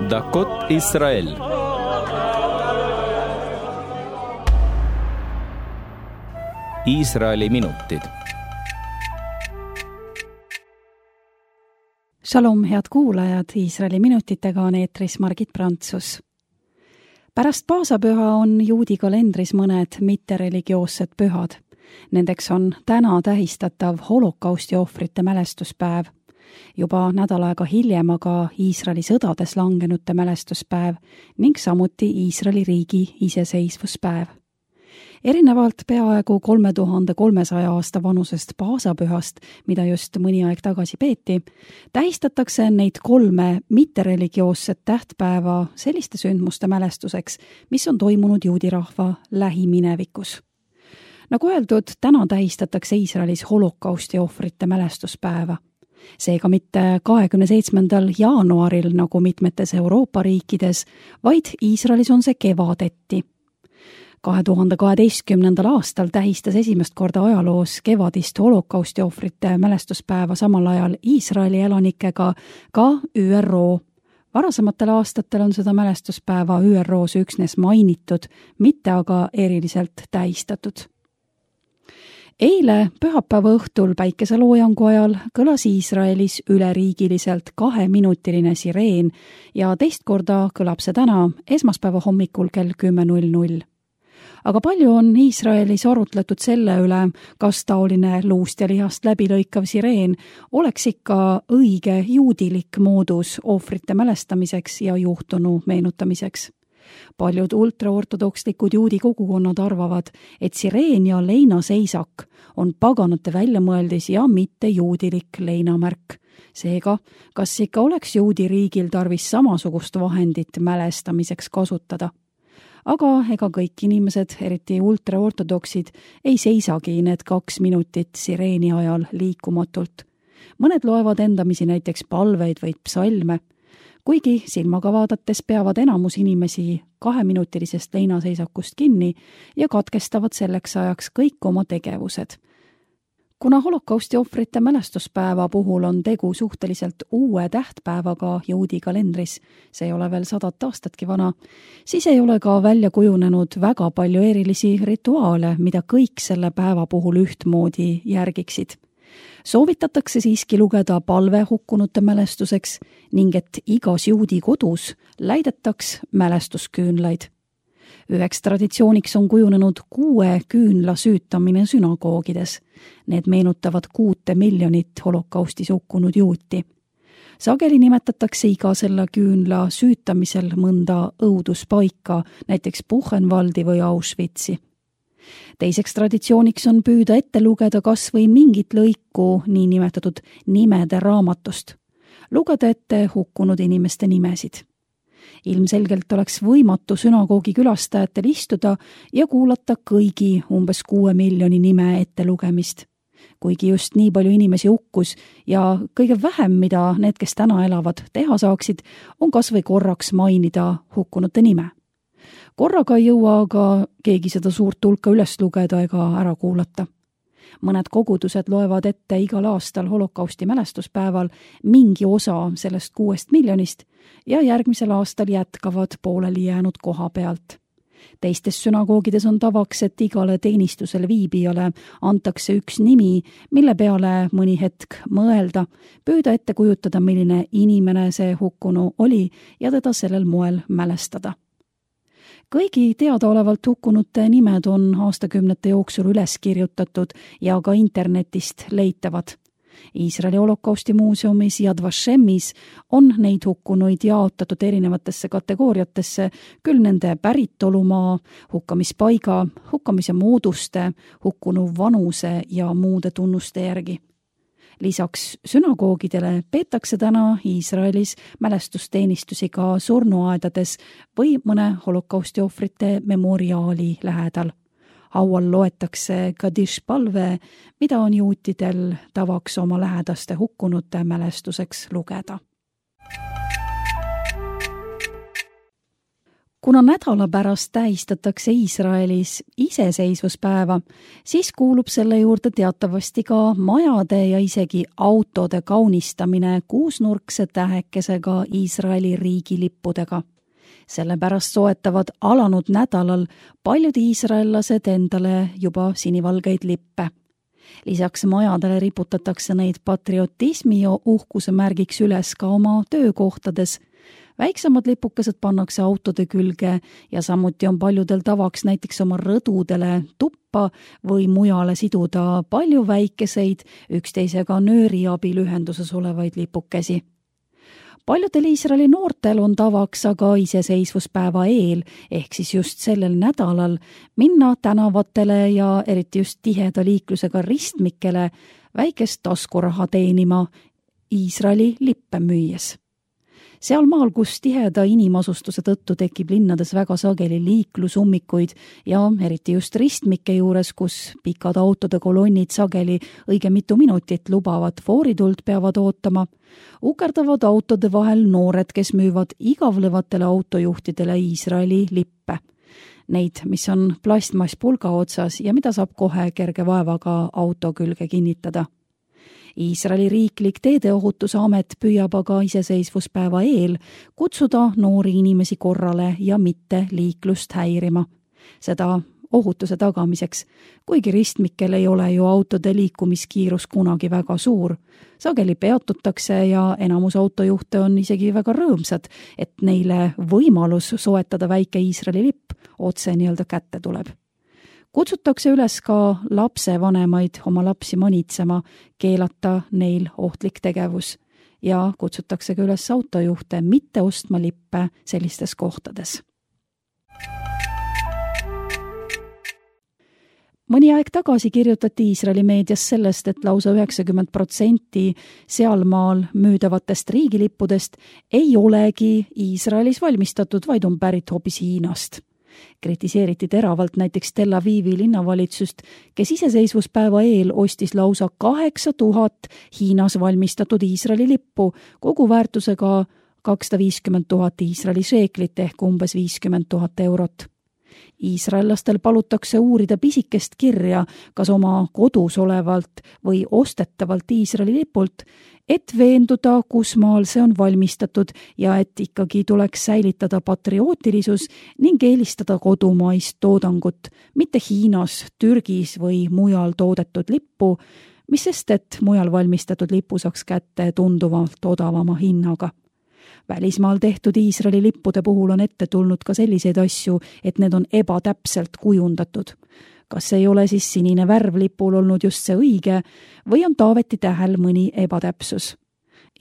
דקות ישראל. Iisraeli minutid. Shalom, head kuulajad, Iisraeli minutitega on eetris Margit Prantsus. Pärast paasapüha on juudi kalendris mõned mittereligioossed pühad. Nendeks on täna tähistatav holokausti ohvrite mälestuspäev. Juba nädal aega hiljem aga Iisraeli sõdades langenute mälestuspäev ning samuti Iisraeli riigi iseseisvuspäev. Erinevalt peaaegu 3300 aasta vanusest paasapühast, mida just mõni aeg tagasi peeti, tähistatakse neid 3 mittereligioossed tähtpäeva selliste sündmuste mälestuseks, mis on toimunud juudi rahva lähiminevikus. Nagu öeldud, täna tähistatakse Iisraelis holokausti ohvrite mälestuspäeva. Seega mitte 27. jaanuaril nagu mitmetes Euroopa riikides, vaid Iisraelis on see kevadeti. 2012. aastal tähistas esimest korda ajaloos kevadist holokausti ohvrite mälestuspäeva samal ajal Iisraeli elanikega ka ÜRO. Varasematel aastatel on seda mälestuspäeva ÜROs üksnes mainitud, mitte aga eriliselt tähistatud. Eile pühapäeva õhtul päikeseloojangu ajal kõlas Iisraelis üleriigiliselt 2-minutiline sireen ja teist korda kõlab see täna esmaspäeva hommikul kell 10:00. Aga palju on Iisraelis arutletud selle üle, kas taoline luust ja lihast läbilõikav sireen oleks ikka õige juudilik moodus ohvrite mälestamiseks ja juhtunu meenutamiseks. Paljud ultraortodokslikud juudi kogukonnad arvavad, et sireen ja leinaseisak on paganate väljamõeldis ja mitte juudilik leinamärk. Seega, kas ikka oleks juudi riigil tarvis samasugust vahendit mälestamiseks kasutada? Aga ega kõik inimesed, eriti ultraortodoksid, ei seisagi need 2 minutit sireeni ajal liikumatult. Mõned loevad endamisi näiteks palveid või psalme. Kuigi silmaga vaadates peavad enamus inimesi 2-minutilisest leinaseisakust kinni ja katkestavad selleks ajaks kõik oma tegevused. Kuna holokausti ohvrite mälestuspäeva puhul on tegu suhteliselt uue tähtpäevaga juudi kalendris, see ei ole veel 100 aastatki vana, siis ei ole ka välja kujunenud väga palju erilisi rituaale, mida kõik selle päeva puhul ühtmoodi järgiksid. Soovitatakse siiski lugeda palve hukkunute mälestuseks ning et igas juudi kodus läidetaks mälestusküünlaid. Üheks traditsiooniks on kujunenud 6 küünla süütamine sünagoogides. Need meenutavad 6 miljonit holokaustis hukkunud juuti. Sageli nimetatakse iga selle küünla süütamisel mõnda õuduspaika, näiteks Buchenwaldi või Auschwitzi. Teiseks traditsiooniks on püüda ette lugeda kas või mingit lõiku niinimetatud nimede raamatust. Lugeda ette hukkunud inimeste nimesid. Ilmselgelt oleks võimatu sünagoogi külastajatel istuda ja kuulata kõigi umbes 6 miljoni nime ettelugemist. Kuigi just nii palju inimesi hukkus ja kõige vähem, mida need, kes täna elavad, teha saaksid, on kas või korraks mainida hukkunute nime. Korraga ei jõua aga keegi seda suurt hulka üles lugeda ega ära kuulata. Mõned kogudused loevad ette igal aastal holokausti mälestuspäeval mingi osa sellest 6 miljonist ja järgmisel aastal jätkavad pooleli jäänud koha pealt. Teistes sünagoogides on tavaks, et igale teenistusel viibijale antakse üks nimi, mille peale mõni hetk mõelda, püüda ette kujutada, milline inimene see hukkunu oli ja teda sellel moel mälestada. Kõigi teadaolevalt hukkunute nimed on aastakümnete jooksul üles kirjutatud ja ka internetist leitavad. Iisraeli holokausti muuseumis Yad Vashemis on neid hukkunuid jaotatud erinevatesse kategooriatesse, küll nende päritolumaa, hukkamispaiga, hukkamise mooduste, hukkunu vanuse ja muude tunnuste järgi. Lisaks sünagoogidele peetakse täna Iisraelis mälestusteenistusi ka surnuaedades või mõne holokausti ohvrite memoriaali lähedal. Haual loetakse Kadish palve, mida on juutidel tavaks oma lähedaste hukkunute mälestuseks lugeda. Kuna nädala pärast tähistatakse Iisraelis iseseisvuspäeva, siis kuulub selle juurde teatavasti ka majade ja isegi autode kaunistamine kuusnurkse tähekesega Iisraeli riigilippudega. Sellepärast soetavad alanud nädalal paljud iisraellased endale juba sinivalgeid lippe. Lisaks majadele riputatakse neid patriotismi ja uhkuse märgiks üles ka oma töökohtades. Väiksemad lipukesed pannakse autode külge ja samuti on paljudel tavaks näiteks oma rõdudele, tuppa või mujale siduda palju väikeseid, üksteisega nööri abil ühenduses olevaid lipukesi. Paljudel Iisraeli noortel on tavaks aga iseseisvuspäeva eel, ehk siis just sellel nädalal, minna tänavatele ja eriti just tiheda liiklusega ristmikele väikest taskuraha teenima Iisraeli lippe müües. Seal maal, kus tiheda inimasustuse tõttu tekib linnades väga sageli liiklusummikuid ja eriti just ristmike juures, kus pikad autode kolonnid sageli õige mitu minutit lubavat foorituld peavad ootama, ukerdavad autode vahel noored, kes müüvad igavlevatele autojuhtidele Iisraeli lippe. Neid, mis on plastmasspulga otsas ja mida saab kohe kerge vaevaga auto külge kinnitada. Iisraeli riiklik teedeohutuse amet püüab aga iseseisvuspäeva eel kutsuda noori inimesi korrale ja mitte liiklust häirima. Seda ohutuse tagamiseks, kuigi ristmikel ei ole ju autode liikumiskiirus kunagi väga suur. Sageli peatutakse ja enamus autojuhte on isegi väga rõõmsad, et neile võimalus soetada väike Iisraeli lipp otse nii-öelda kätte tuleb. Kutsutakse üles ka lapsevanemaid oma lapsi manitsema, keelata neil ohtlik tegevus ja kutsutakse ka üles autojuhte mitte ostma lippe sellistes kohtades. Mõni aeg tagasi kirjutati Iisraeli meedias sellest, et lausa 90% sealmaal müüdavatest riigilippudest ei olegi Iisraelis valmistatud, vaid on pärit hoopis Hiinast. Kritiseeriti teravalt näiteks Tel Avivi linnavalitsust, kes iseseisvuspäeva eel ostis lausa 8000 Hiinas valmistatud Iisraeli lippu, kogu väärtusega 250 000 Iisraeli šeeklit ehk umbes 50 000 eurot. Iisraellastel palutakse uurida pisikest kirja, kas oma kodus olevalt või ostetavalt Iisraeli lipult, et veenduda, kus maal see on valmistatud ja et ikkagi tuleks säilitada patriootilisus ning eelistada kodumaist toodangut, mitte Hiinas, Türgis või mujal toodetud lippu, mis sest, et mujal valmistatud lipu saaks kätte tunduvalt odavama hinnaga. Välismaal tehtud Iisraeli lippude puhul on ette tulnud ka selliseid asju, et need on ebatäpselt kujundatud. Kas ei ole siis sinine värv lipul olnud just see õige või on taaveti tähel mõni ebatäpsus?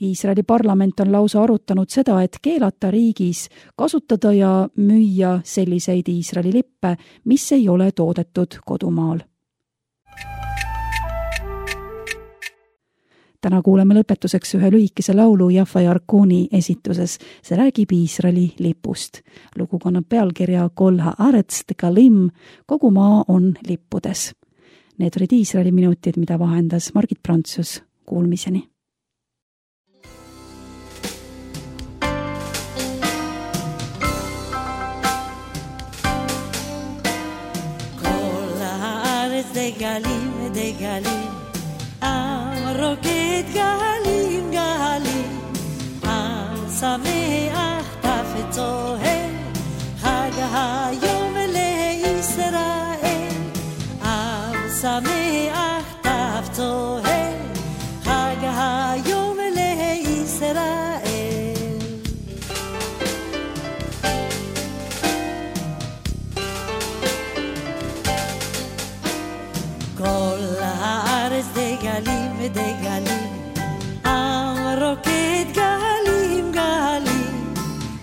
Iisraeli parlament on lausa arutanud seda, et keelata riigis kasutada ja müüa selliseid Iisraeli lippe, mis ei ole toodetud kodumaal. Täna kuuleme lõpetuseks ühe lühikese laulu Jaffa Yarkuni esituses. See räägib Iisraeli lipust. Lugu kannab pealkirja Kol haaretz tekalim, kogu maa on lippudes. Need olid Iisraeli minutid, mida vahendas Margit Prantsus. Kuulmiseni. Kol haaretz tekalim, רוקד גלים גלים, השמח תפת צוהל, חג היום לישראל. השמח תפת צוהל, חג היום לישראל. כל הארץ דגלים ודגלים, עם רוקד גלים גלים,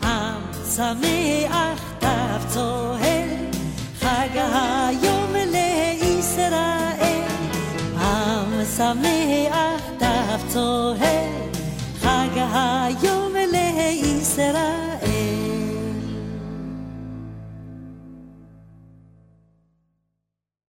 עם שמח תף צוהל, חג היום לישראל. עם שמח תף צוהל, חג היום